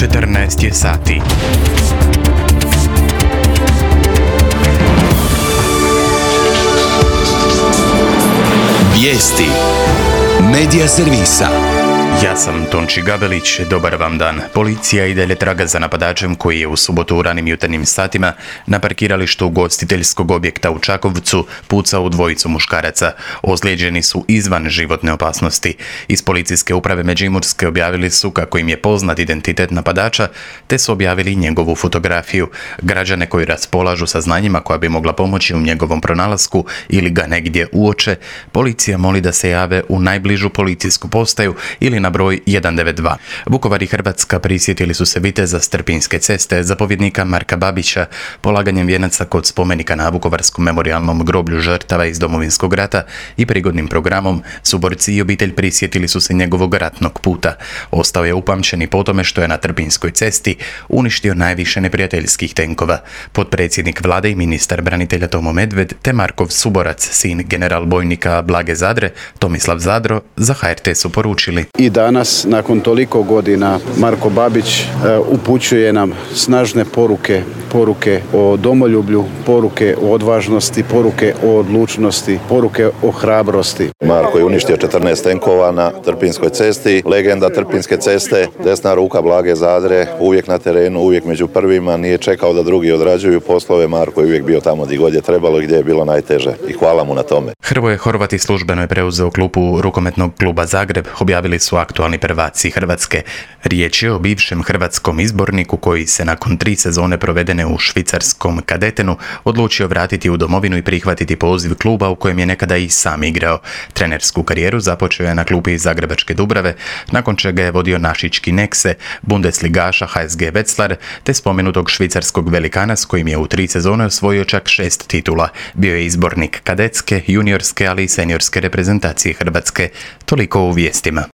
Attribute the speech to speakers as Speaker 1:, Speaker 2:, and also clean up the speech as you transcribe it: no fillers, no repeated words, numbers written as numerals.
Speaker 1: 14 je sati.
Speaker 2: Vijesti Medija servisa.
Speaker 1: Ja sam Tonči Gabelić, dobar vam dan. Policija i dalje traga za napadačem koji je u subotu u ranim jutarnjim satima na parkiralištu ugostiteljskog objekta u Čakovcu pucao u dvojicu muškaraca. Ozlijeđeni su izvan životne opasnosti. Iz policijske uprave Međimurske objavili su kako im je poznat identitet napadača, te su objavili njegovu fotografiju. Građane koji raspolažu saznanjima koja bi mogla pomoći u njegovom pronalasku ili ga negdje uoče, policija moli da se jave u najbližu policijsku postaju ili na broj 192. Vukovar i Hrvatska prisjetili su se viteza s Trpinjske ceste, zapovjednika Marka Babića, polaganjem vijenaca kod spomenika na Vukovarskom memorijalnom groblju žrtava iz Domovinskog rata i prigodnim programom suborci i obitelj prisjetili su se njegovog ratnog puta. Ostao je upamćen i po tome što je na Trpinjskoj cesti uništio najviše neprijateljskih tenkova. Potpredsjednik vlade i ministar branitelja Tomo Medved te Markov suborac, sin general bojnika Blage Zadre, Tomislav Zadro, za HRT su poručili:
Speaker 3: I danas, nakon toliko godina, Marko Babić upućuje nam snažne poruke o domoljublju, poruke o odvažnosti, poruke o odlučnosti, poruke o hrabrosti.
Speaker 4: Marko je uništio 14 tenkova na Trpinjskoj cesti, legenda Trpinjske ceste, desna ruka Blage Zadre, uvijek na terenu, uvijek među prvima, nije čekao da drugi odrađuju poslove. Marko je uvijek bio tamo gdje god je trebalo i gdje je bilo najteže i hvala mu na tome.
Speaker 1: Hrvoje Horvati službeno je preuzeo klupu rukometnog kluba Zagreb, objavili su aktualni prvaci Hrvatske. Riječ je o bivšem hrvatskom izborniku koji se nakon 3 sezone provedene u švicarskom Kadetenu odlučio vratiti u domovinu i prihvatiti poziv kluba u kojem je nekada i sam igrao. Trenersku karijeru započeo je na klupi Zagrebačke Dubrave, nakon čega je vodio našički Nekse, Bundesligaša HSG Wetzlar, te spomenutog švicarskog velikana s kojim je u 3 sezone osvojio čak 6 titula. Bio je izbornik kadetske, juniorske, ali i seniorske reprezentacije Hrvatske. Toliko u vijestima.